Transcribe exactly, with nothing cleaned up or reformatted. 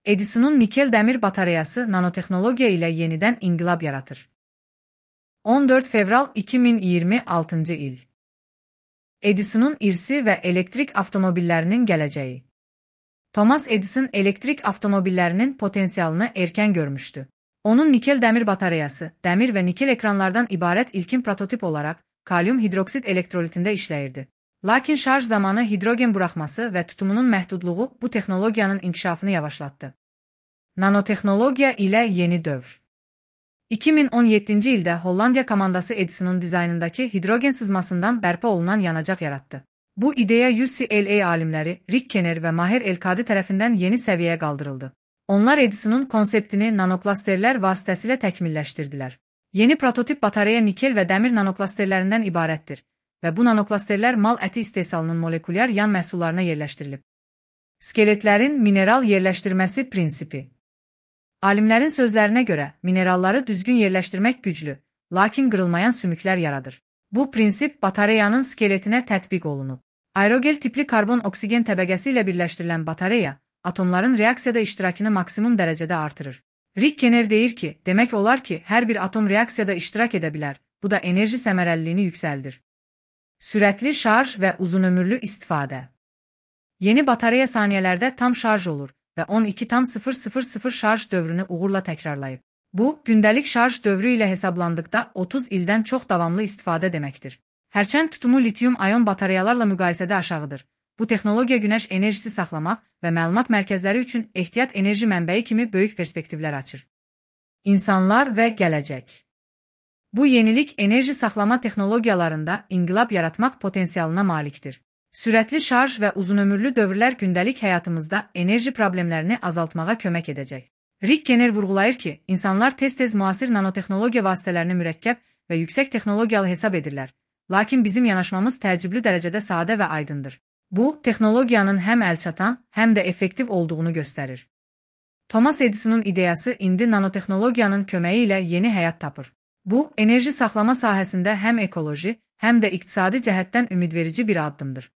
Edison'un nikel demir batareyası nanotehnologiya ile yeniden inqilab yaratır. on dörd fevral iki min iyirmi altıncı il. Edison'un irsi və elektrik avtomobillərinin gələcəyi. Thomas Edison elektrik avtomobillərinin potensialını erkən görmüşdü. Onun nikel dəmir batareyası, dəmir və nikel ekranlardan ibarət ilkin prototip olaraq kalyum hidroksid elektrolitində işləyirdi. Lakin şarj zamanı hidrogen buraxması və tutumunun məhdudluğu bu texnologiyanın inkişafını yavaşlatdı. Nanotehnologiya ilə yeni dövr. iki min on yeddinci ildə Hollandiya komandası Edison'un dizaynındakı hidrogen sızmasından bərpa olunan yanacaq yaratdı. Bu ideya U C L A alimləri Rick Kenner və Maher El-Kadi tərəfindən yeni səviyyəyə qaldırıldı. Onlar Edison'un konseptini nanoklasterlər vasitəsilə təkmilləşdirdilər. Yeni prototip batareya nikel və dəmir nanoklasterlərindən ibarətdir və bu nanoklasterlər mal əti istehsalının molekulyar yan məhsullarına yerləşdirilib. Skeletlərin mineral yerləşdirməsi prinsipi. Alimlərin sözlərinə görə, mineralları düzgün yerləşdirmək güclü, lakin qırılmayan sümüklər yaradır. Bu prinsip batareyanın skeletinə tətbiq olunub. Aerogel tipli karbon-oksigen təbəqəsi ilə birləşdirilən batareya, atomların reaksiyada iştirakını maksimum dərəcədə artırır. Rick Kenner deyir ki, demək olar ki, hər bir atom reaksiyada iştirak edə bilər, bu da enerji səmərəliliyini yüksəldir. Sürətli şarj və uzunömürlü istifadə. Yeni batareya saniyələrdə tam şarj olur və on iki tam sıfır sıfır sıfır şarj dövrünü uğurla təkrarlayıb. Bu, gündəlik şarj dövrü ilə hesablandıqda otuz ildən çox davamlı istifadə deməkdir. Hərçənd tutumu litium-ayon batareyalarla müqayisədə aşağıdır. Bu texnologiya günəş enerjisi saxlamaq və məlumat mərkəzləri üçün ehtiyat enerji mənbəyi kimi böyük perspektivlər açır. İnsanlar və gələcək. Bu yenilik enerji saxlama texnologiyalarında inqilab yaratmaq potensialına malikdir. Sürətli şarj və uzunömürlü dövrlər gündəlik həyatımızda enerji problemlərini azaltmağa kömək edəcək. Rick Kenner vurğulayır ki, insanlar tez-tez müasir nanotexnologiya vasitələrini mürəkkəb və yüksək texnologiyalı hesab edirlər, lakin bizim yanaşmamız təəccüblü dərəcədə sadə və aydındır. Bu, texnologiyanın həm əlçatan, həm də effektiv olduğunu göstərir. Thomas Edison'un ideyası indi nanotexnologiyanın köməyi ilə yeni həyat tapır. Bu, enerji saxlama sahəsində həm ekoloji, həm də iqtisadi cəhətdən ümidverici bir addımdır.